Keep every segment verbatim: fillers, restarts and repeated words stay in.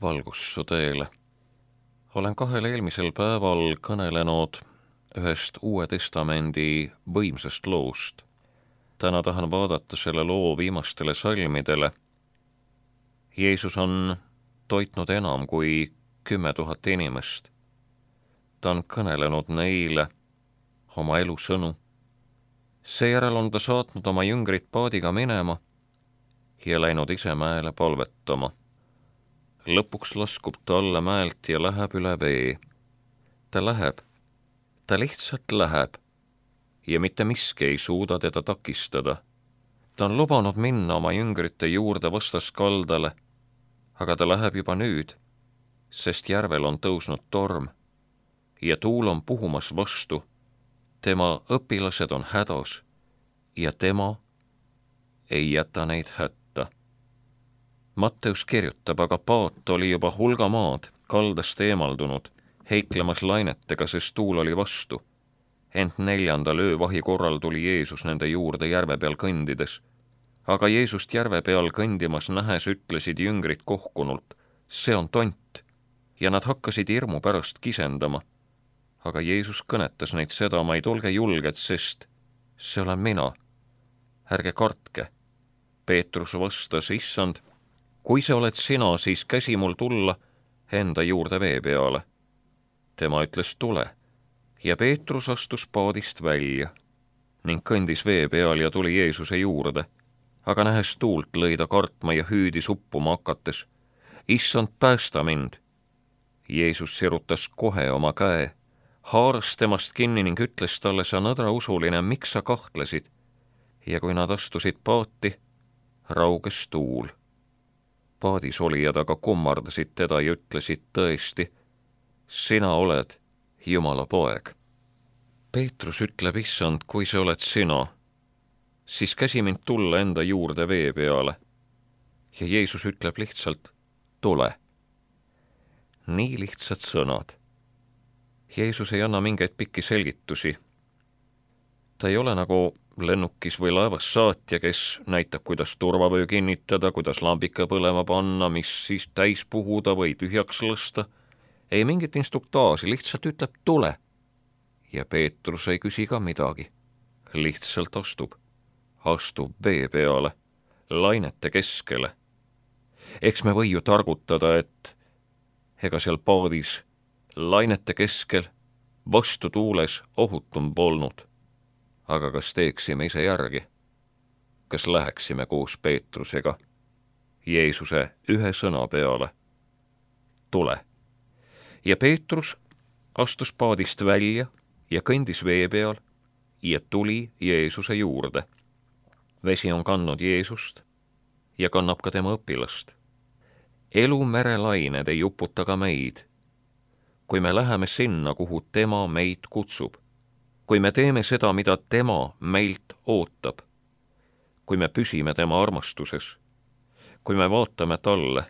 valgussu teele. Olen kahel eelmisel päeval kõnelenud ühest Uue Testamendi võimsast loost. Täna tahan vaadata selle loo viimastele salmidele. Jeesus on toitnud enam kui kümme tuhat inimest. Ta on kõnelenud neile oma elusõnu. Seejärel on ta saatnud oma jüngrid paadiga minema ja läinud ise mäele palvetama. Lõpuks laskub ta alla mäelt ja läheb üle vee. Ta läheb, ta lihtsalt läheb ja mitte miski ei suuda teda takistada. Ta on lubanud minna oma jüngrite juurde vastaskaldale, aga ta läheb juba nüüd, sest järvel on tõusnud torm ja tuul on puhumas vastu. Tema õpilased on hädas ja tema ei jäta neid hätta. Matteus kirjutab, aga paat oli juba hulga maad kaldast eemaldunud, heiklemas lainetega, sest tuul oli vastu. Ent neljandal öövahi korral tuli Jeesus nende juurde järve peal kõndides. Aga Jeesust järve peal kõndimas nähes ütlesid jüngrid kohkunult, see on tont, ja nad hakkasid hirmu pärast kisendama. Aga Jeesus kõnetas neid sedamaid, olge julged, sest see olen mina. Ärge kartke. Peetrus vastas, issand, kui see oled sina, siis käsi mul tulla enda juurde vee peale. Tema ütles, tule, ja Peetrus astus paadist välja ning kõndis vee peal ja tuli Jeesuse juurde. Aga nähes tuult lõi ta kartma ja hüüdis uppuma hakates, issand, päästa mind. Jeesus sirutas kohe oma käe, haaras temast kinni ning ütles talle, sa nõdrausuline, miks sa kahtlesid? Ja kui nad astusid paati, rauges tuul. Paadis olijad aga kummardasid teda ja ütlesid tõesti, sina oled Jumala poeg. Peetrus ütleb, issand, kui see oled sina, siis käsi mind tulla enda juurde vee peale. Ja Jeesus ütleb lihtsalt, tule. Nii lihtsad sõnad. Jeesus ei anna mingeid pikki selgitusi. Ta ei ole nagu lennukis või laevas saatja, kes näitab, kuidas turvavöö kinnitada, kuidas lambika põlema panna, mis siis täis puhuda või tühjaks lasta. Ei mingit instruktaaži, lihtsalt ütleb tule. Ja Peetrus ei küsi ka midagi. Lihtsalt astub. Astub vee peale, lainete keskele. Eks me või ju targutada, et ega seal paadis lainete keskel vastu tuules ohutum polnud. Aga kas teeksime ise järgi? Kas läheksime koos Peetrusega Jeesuse ühe sõna peale? Tule. Ja Peetrus astus paadist välja ja kõndis vee peal ja tuli Jeesuse juurde. Vesi on kandnud Jeesust ja kannab ka tema õpilast. Elu merelained ei uputa ka meid. Kui me läheme sinna, kuhu tema meid kutsub, kui me teeme seda, mida tema meilt ootab, kui me püsime tema armastuses, kui me vaatame talle,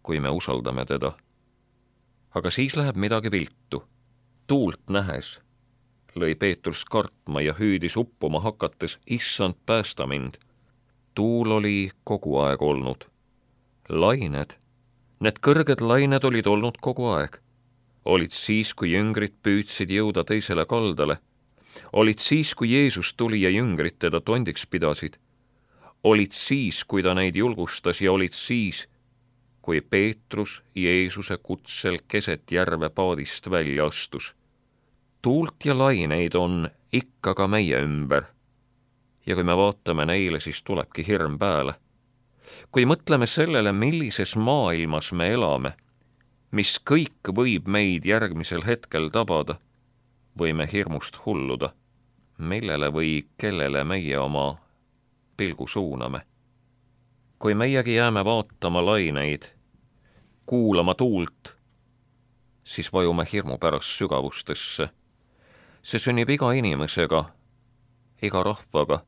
kui me usaldame teda. Aga siis läheb midagi viltu. Tuult nähes lõi Peetrus kartma ja hüüdis uppuma hakates, issand, päästa mind. Tuul oli kogu aeg olnud. Lained, need kõrged lained olid olnud kogu aeg. Olid siis, kui jüngrid püüdsid jõuda teisele kaldale. Olid siis, kui Jeesus tuli ja jüngrid teda tondiks pidasid. Olid siis, kui ta neid julgustas ja olid siis, kui Peetrus Jeesuse kutsel keset järve paadist välja astus. Tuult ja laineid on ikka ka meie ümber. Ja kui me vaatame neile, siis tulebki hirm pääle. Kui mõtleme sellele, millises maailmas me elame, mis kõik võib meid järgmisel hetkel tabada, võime hirmust hulluda, millele või kellele meie oma pilgu suuname. Kui meiegi jääme vaatama laineid, kuulama tuult, siis vajume hirmu pärast sügavustesse. See sünnib iga inimesega, iga rahvaga,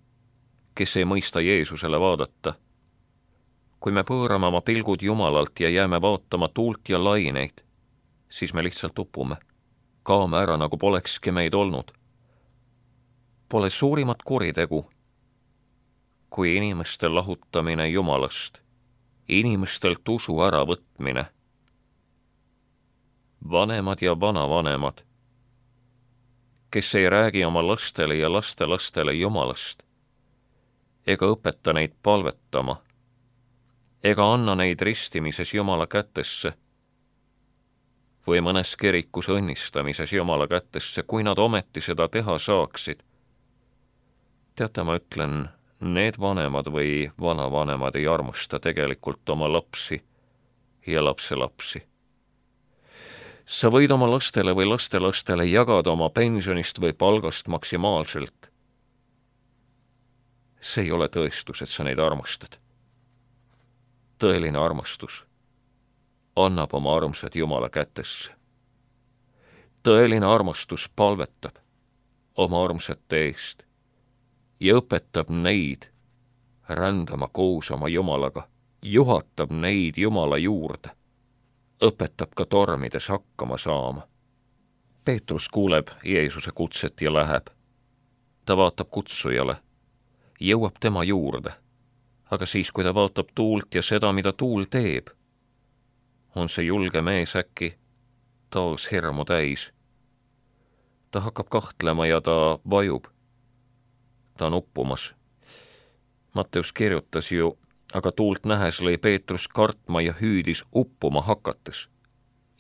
kes ei mõista Jeesusele vaadata. Kui me pöörame oma pilgud Jumalalt ja jääme vaatama tuult ja laineid, siis me lihtsalt upume. Kaame ära, nagu polekski meid olnud. Pole suurimat kuritegu kui inimeste lahutamine Jumalast, inimestelt usu äravõtmine vanemad ja vanavanemad, kes ei räägi oma lastele ja lastelastele Jumalast, ega õpeta neid palvetama, ega anna neid ristimises Jumala kätesse või mõnes kirikus õnnistamises Jumala kätesse, kui nad ometi seda teha saaksid. Teate, ma ütlen, need vanemad või vanavanemad ei armasta tegelikult oma lapsi ja lapselapsi. Sa võid oma lastele või lastelastele jagada oma pensionist või palgast maksimaalselt. See ei ole tõestus, et sa neid armastad. Tõeline armastus annab oma armsad Jumala kätesse. Tõeline armastus palvetab oma armsate eest ja õpetab neid rändama koos oma Jumalaga, juhatab neid Jumala juurde, õpetab ka tormides hakkama saama. Peetrus kuuleb Jeesuse kutset ja läheb. Ta vaatab kutsujale, jõuab tema juurde, aga siis, kui ta vaatab tuult ja seda, mida tuul teeb, on see julge mees äkki taas hirmu täis. Ta hakkab kahtlema ja ta vajub. Ta on uppumas. Matteus kirjutas ju, aga tuult nähes lõi Peetrus kartma ja hüüdis uppuma hakates.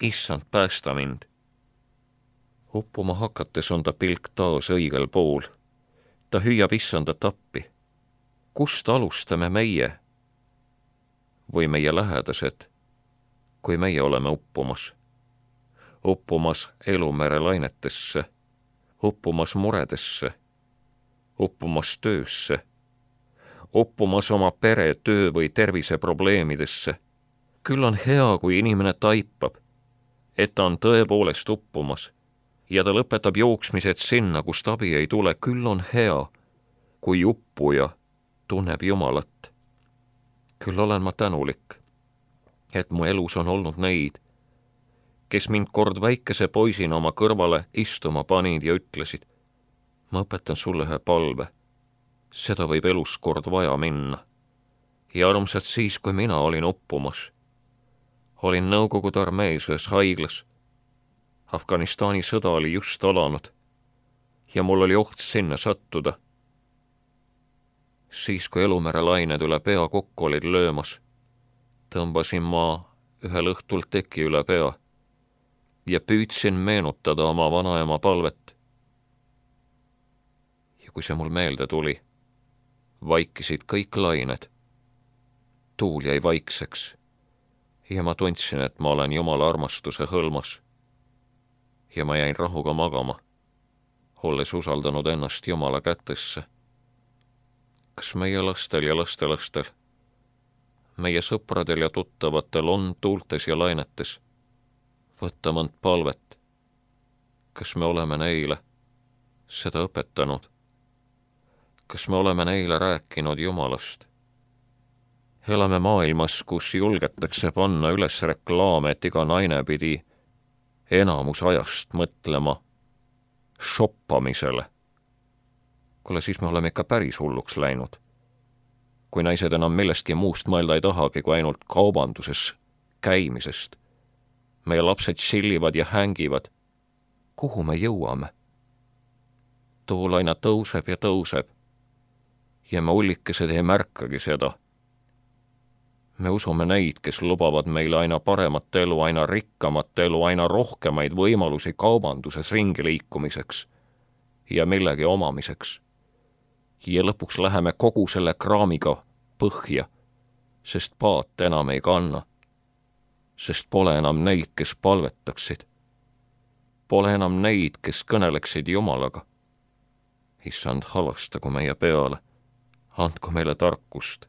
Issand, päästa mind. Uppuma hakates on ta pilk taas õigel pool. Ta hüüab issandat appi. Kust alustame meie või meie lähedased, kui meie oleme uppumas? Uppumas elumere lainetesse, uppumas muredesse, uppumas töösse, uppumas oma pere, töö või terviseprobleemidesse. Küll on hea, kui inimene taipab, et ta on tõepoolest uppumas ja ta lõpetab jooksmised sinna, kust abi ei tule. Küll on hea, kui uppuja tunneb Jumalat. Küll olen ma tänulik, et mu elus on olnud neid, kes mind kord väikese poisina oma kõrvale istuma panid ja ütlesid, ma õpetan sulle ühe palve. Seda võib elus kord vaja minna. Ja armsalt siis, kui mina olin uppumas. Olin Nõukogude armees ühes haiglas. Afganistani sõda oli just alanud ja mul oli oht sinna sattuda. Siis, kui elumere lained üle pea kokku olid löömas, tõmbasin ma ühel õhtul teki üle pea ja püüdsin meenutada oma vanaema palvet. Ja kui see mul meelde tuli, vaikisid kõik lained. Tuul jäi vaikseks ja ma tundsin, et ma olen Jumala armastuse hõlmas. Ja ma jäin rahuga magama, olles usaldanud ennast Jumala kätesse. Kas meie lastel ja lastelastel, meie sõpradel ja tuttavatel on tuultes ja lainetes võtta mõnd palvet? Kas me oleme neile seda õpetanud? Kas me oleme neile rääkinud Jumalast? Elame maailmas, kus julgetakse panna üles reklaame, et iga naine pidi enamus ajast mõtlema shoppamisele. Kuule, siis me oleme ikka päris hulluks läinud. Kui naised enam millestki muust mõelda ei tahagi, kui ainult kaubanduses käimisest. Meie lapsed sillivad ja hängivad. Kuhu me jõuame? Tool aina tõuseb ja tõuseb. Ja me ullikesed ei märkagi seda. Me usume neid, kes lubavad meile aina paremat elu, aina rikkamat elu, aina rohkemaid võimalusi kaubanduses ringi liikumiseks ja millegi omamiseks. Ja lõpuks läheme kogu selle kraamiga põhja, sest paat enam ei kanna, sest pole enam neid, kes palvetaksid. Pole enam neid, kes kõneleksid Jumalaga. Issand, halastagu meie peale, andku meile tarkust.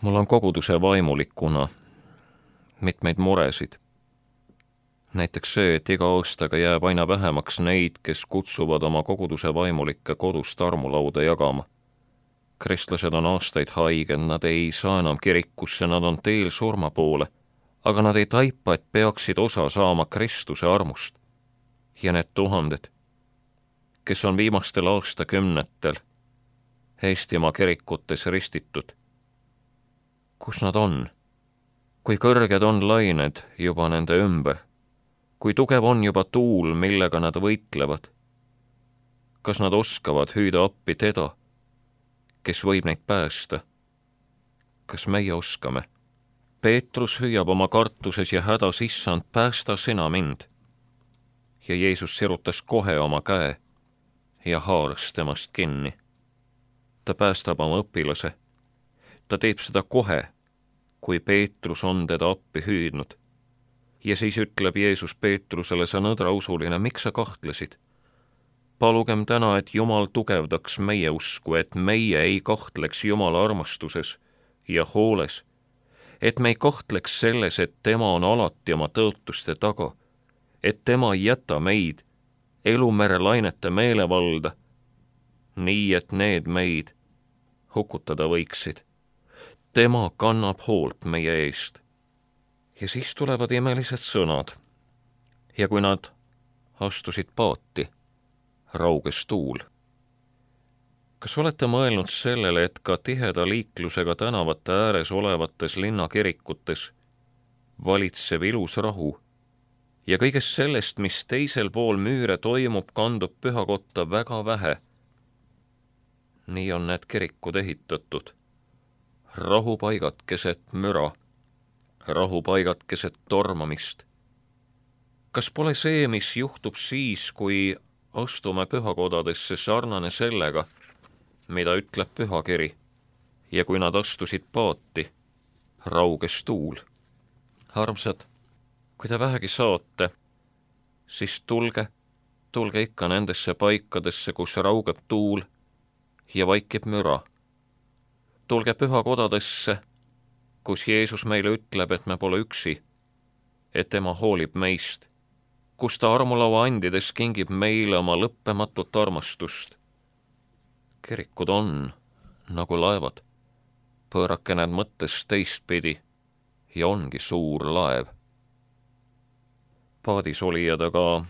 Mul on koguduse vaimulikuna mitmeid muresid. Näiteks see, et iga aastaga jääb aina vähemaks neid, kes kutsuvad oma koguduse vaimulikke kodust armulauda jagama. Kristlased on aastaid haiged, nad ei saa enam kirikusse, nad on teel surma poole, aga nad ei taipa, et peaksid osa saama Kristuse armust. Ja need tuhanded, kes on viimastel aastakümnetel Eestimaa kirikutes ristitud, kus nad on? Kui kõrged on lained juba nende ümber, kui tugev on juba tuul, millega nad võitlevad. Kas nad oskavad hüüda appi teda, kes võib neid päästa? Kas meie oskame? Peetrus hüüab oma kartuses ja hädas, issand, päästa sina mind. Ja Jeesus sirutas kohe oma käe ja haaras temast kinni. Ta päästab oma õpilase. Ta teeb seda kohe, kui Peetrus on teda appi hüüdnud. Ja siis ütleb Jeesus Peetrusele, sa nõdrausuline, miks sa kahtlesid? Palugem täna, et Jumal tugevdaks meie usku, et meie ei kahtleks Jumala armastuses ja hooles, et me ei kahtleks selles, et tema on alati oma tõotuste taga, et tema ei jäta meid elumere lainete meelevalda, nii et need meid hukutada võiksid. Tema kannab hoolt meie eest. Ja siis tulevad imelised sõnad. Ja kui nad astusid paati, rauges tuul. Kas olete mõelnud sellele, et ka tiheda liiklusega tänavate ääres olevates linnakirikutes valitseb ilus rahu ja kõigest sellest, mis teisel pool müüre toimub, kandub pühakotta väga vähe? Nii on need kirikud ehitatud. Rahupaigad keset müra, rahupaigad keset tormamist. Kas pole see, mis juhtub siis, kui astume pühakodadesse, sarnane sellega, mida ütleb pühakiri, ja kui nad astusid paati, rauges tuul? Armsad, kui te vähegi saate, siis tulge, tulge ikka nendesse paikadesse, kus raugeb tuul ja vaikib müra. Tulge pühakodadesse, kus Jeesus meile ütleb, et me pole üksi, et tema hoolib meist, kus ta armulaua andides kingib meile oma lõppematut armastust. Kirikud on nagu laevad, pöörake need mõttes teistpidi ja ongi suur laev. Paadis olijad aga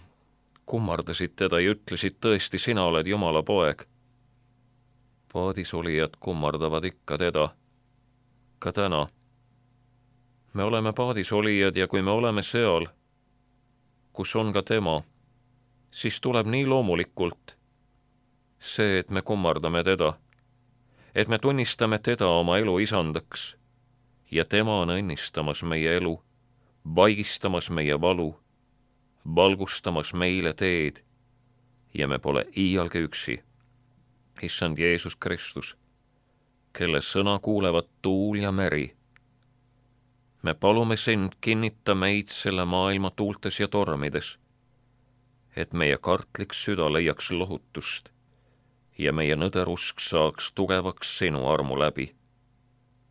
kummardasid teda ja ütlesid, tõesti, sina oled Jumala poeg. Paadis olijad kummardavad ikka teda, ka täna. Me oleme paadis olijad ja kui me oleme seal, kus on ka tema, siis tuleb nii loomulikult see, et me kummardame teda, et me tunnistame teda oma elu isandaks ja tema on õnnistamas meie elu, vaigistamas meie valu, valgustamas meile teed ja me pole iialgi üksi. Issand Jeesus Kristus, kelle sõna kuulevad tuul ja meri. Me palume sind, kinnita meid selle maailma tuultes ja tormides, et meie kartlik süda leiaks lohutust ja meie nõderusk saaks tugevaks sinu armu läbi.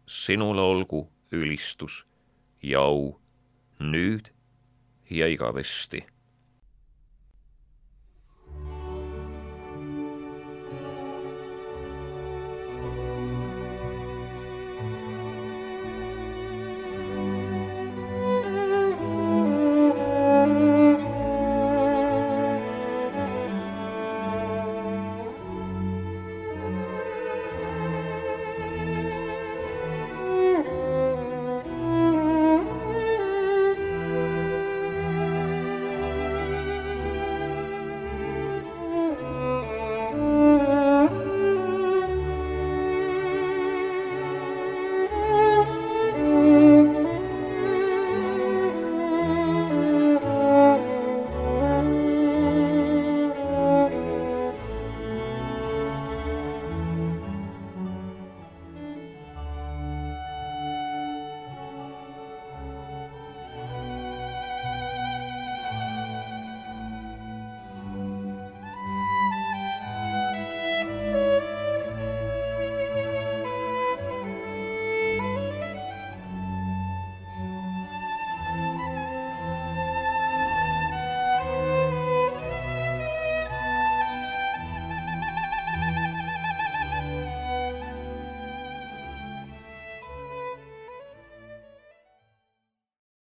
Sinule olgu ülistus ja au nüüd ja igavesti.